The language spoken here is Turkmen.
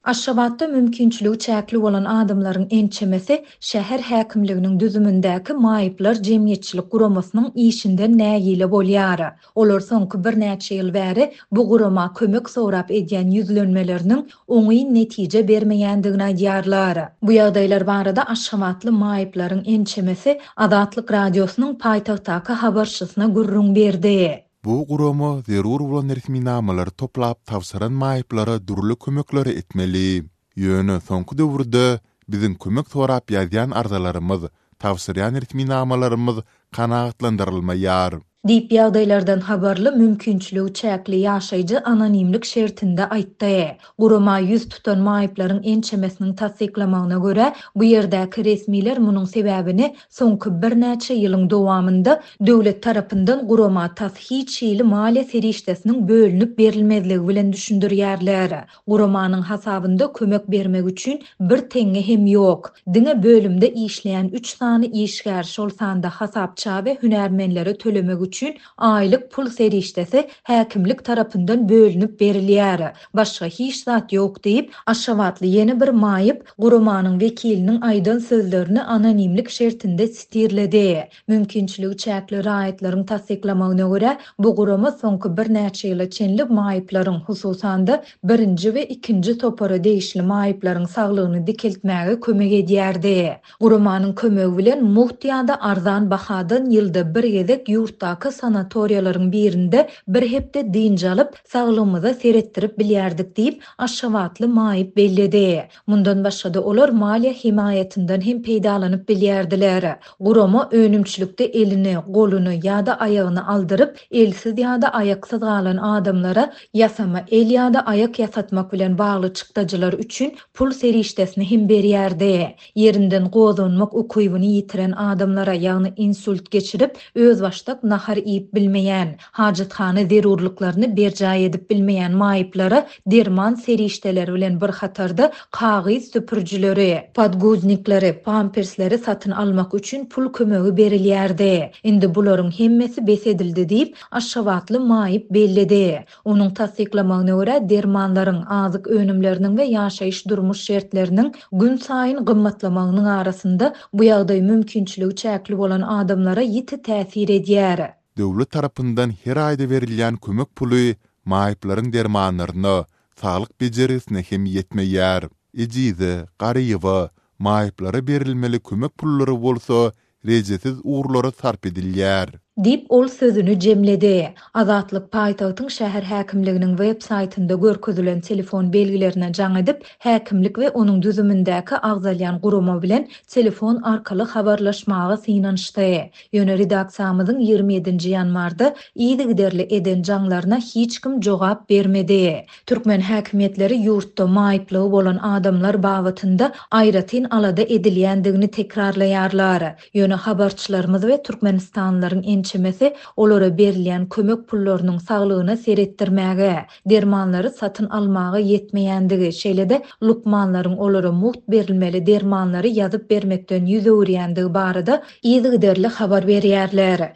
Aşgabatda mümkinçiligi çäkli bolan adamlaryň ençemesi şäher häkimliginiň düzümindäki Maýyplar jemgyýetçilik guramasynyň işinden nägile bolýar. Olar soňky birnäçe ýyl bäri bu gurama kömek sorap edýän ýüzlenmeleriniň oňyn netije bermeýändigini aýdýarlar. Bu ýagdaýlar barada aşgabatly maýyplaryň ençemesi Azatlyk Radiosynyň paýtagtdaky habarçysyna gürrüň berdi. Bu gurama zerur bolan resminamalary toplap tabşyran maýyplara dürli kömekleri etmeli. Ýöne soňky döwürde biziň kömek sorap ýazýan arzalarymyz, tabşyrýan resminamalarymyz kanagatlandyrylmaýar. Diýip, ýagdaýlardan habarly mümkinçiligi çäkli ýaşaýjy anonimlik şertinde aýtdy. Gurama ýüz tutan maýyplaryň ençemesiniň tassyklamagyna görä, bu ýerdäki resmiler munuň sebäbini soňky birnäçe ýylyň dowamynda döwlet tarapyndan gurama tas hiç hili maliýe serişdesiniň bölünip berilmezligi bilen düşündirýärler. Guramanyň hasabynda kömek bermek üçin bir teňňe hem ýok. Diňe bölümde işleýän üç sany işgär, şol sanda hasapça we hünärmenlere tölemek üçin aýlyk pul serişdesi häkimlik tarapyndan bölünip berilýär. Başga hiç zat ýok diýip, aşgabatly ýene bir maýyp guramanyň wekiliniň aýdan sözlerini anonimlik şertinde sitirledi. Mümkinçiligi çäkli raýatlaryň tassyklamagyna görä, bu gurama soňky birnäçe ýyla çenli maýyplaryň, hususan-da, birinji we ikinji topara degişli maýyplaryň saglygyny dikeltmäge kömek edýärdi. Guramanyň kömegi bilen mugt ýa-da arzan bahadan ýylda bir gezek ýurtdaky sanatoriýalaryň birinde bir hepde dynç alyp, saglygymyza seretdirip bilýärdik diýip, aşgabatly maýyp belledi. Mundan başga-da olar maliýe hemaýatyndan hem peýdalanyp bilýärdiler. Gurama önümçilikde elini, goluny ýa-da aýagyny aldyryp, elsiz ýa-da aýaksyz galan adamlara ýasama el ýa-da aýak ýasatmak bilen bagly çykdajylar üçin pul serişdesini hem berýärdi. Ýerinden gozganmak ukybyny ýitiren adamlara, ýagny insult geçirip, özbaşdak nahar iýip bilmeýän, hajathana zerurlyklaryny berjaý edip bilmeýän maýyplara derman serişdeleri bilen bir hatarda kagyz süpürijileri, podguznikleri, pampersleri satyn almak üçin pul kömegi berilýärdi. Indi bularyň hemmesi bes edildi diýip, aşgabatly maýyp belledi. Onuň tassyklamagyna görä, dermanlaryň, azyk önümleriniň we ýaşaýyş-durmuş şertleriniň günsaýyn gymmatlamagynyň arasynda bu ýagdaý mümkinçiligi çäkli bolan adamlara ýiti täsir edýär. Döwlet tarapyndan her aýda berilýän kömek puly maýyplaryň dermanlaryna, saglyk bejergisine hem ýetmeýär. Ejize, garyba, maýyplara berilmeli kömek pullary bolsa rejesiz ugurlara sarp edilýär. Diýip, ol sözüni jemledi. Azatlyk paýtagtyň şäher häkimliginiň web saýtynda görkezilen telefon belgilerine jaň edip, häkimlik we onuň düzümindäki agzalýan gurama bilen telefon arkaly habarlaşmaga synanyşdy. Ýöne redaksiýamyzyň 27-nji ýanwarda yzygiderli eden jaňlaryna hiç kim jogap bermedi. Türkmen häkimiýetleri ýurtda maýyplygy bolan adamlar babatynda aýratyn alada edilýändigini tekrarlaýarlar. Ýöne habarçylarymyz we türkmenistanlylaryň ençemesi olara berilýän kömek pullarynyň saglygyna seretdirmäge, dermanlary satyn almaga ýetmeýändigi, şeýle-de lukmanlaryň olara mugt berilmeli dermanlary ýazyp bermekden ýüz öwürýändigi barada yzygiderli habar berýärler.